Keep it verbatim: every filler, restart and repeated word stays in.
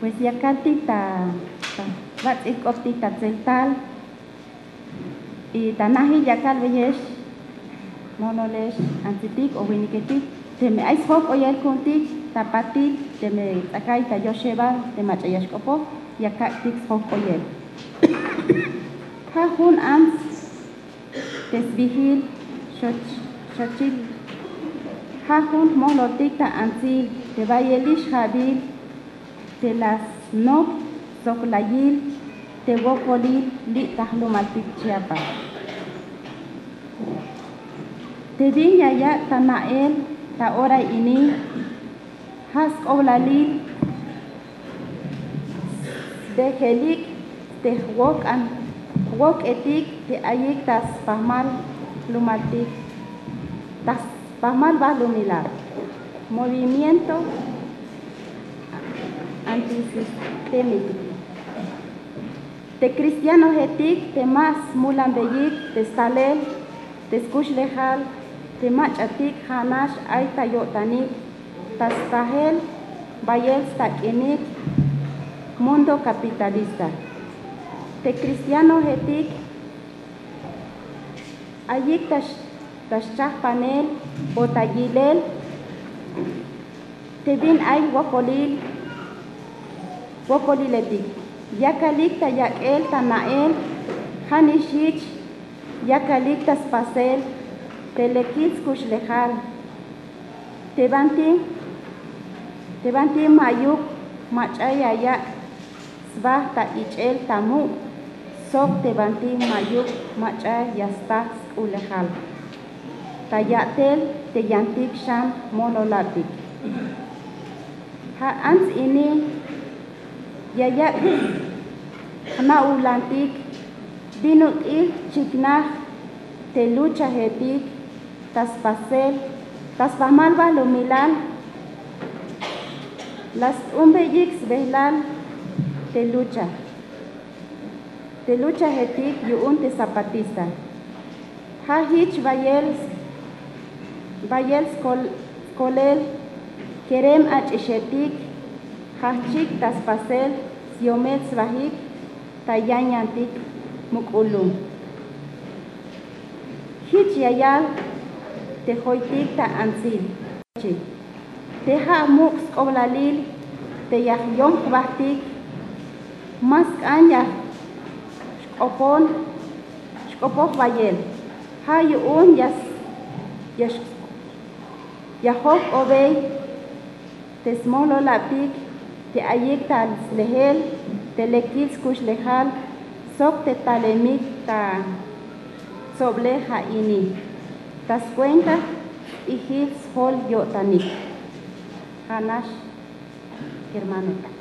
Pues ya kaltik ta, ta bats'il k'optik ta tseltal. Y ta najil ya kalbeyex, monolex antsitik o winiketik, teme ay sjok'oyel ku'untik ta patil, teme ts'akay ta yoxebal te mach'a ya xk'opoj, ya kak'tik sjok'oyel. Ja' jun ants te sbijil xoch-, xochil. Ja' jun jmololtik ta antsil te bayelix ja'bil te la snop sok la yil te wokolil li' ta jlumaltik Chiapas. Te bin ya yak' ta na'el ta ora ini, ja' sk'oblalil sbejelik te jwok'an, jwok'etik te ayik ta spajmal jlumaltik, ta spajmal balumilal, movimiento antisistémico. Te cristianojetik te ma smulanbeyik te stalel te skuxlejal te mach'atik ja'nax ay ta yo'tanik ta stajel bayel stak'inik mundo capitalista. Te cristianojetik ayik ta x-, ta xchajpanel o ta yilel te bin ay wokolil, wokoliletik. Yakalik ta yak'el ta na'el, ja' nix jich yakalik ta spasel te lekil skuxlejal. Te banti, te banti ma'yuk mach'a ya yak' sba ta ich'el ta muk', sok te banti ma'yuk mach'a ya sta sk'ulejal ta ya'tel te yantik xan mololabtik. Ja' ants ini ya yak' jna'ulantik bin ut'il chiknaj te luchajetik ta spasel, ta spajmal balumilal la st'umbeyik sbejlal te lucha, te luchajetik yu'un te zapatista. Ja' jich bayel, bayel skol-, skolel kerem ach'ixetik, jajchik ta spasel syomel sbajik ta yanyantik muk'ulum. Jich ya yal te joytik ta antsil. Te ja' muk' sk'oblalil te ya jyom jbajtik, ma sk'an ya xk'opon, xk'opoj bayel. Ja' yu'un ya s-, ya x-, ya jojk'obey te smololabtik te ayik ta slejel te lekil skuxlejal sok te talemik ta tsoblej ja' ini ta skuenta jp'ijil sjol yo'tanik. Ja'nax, hermano.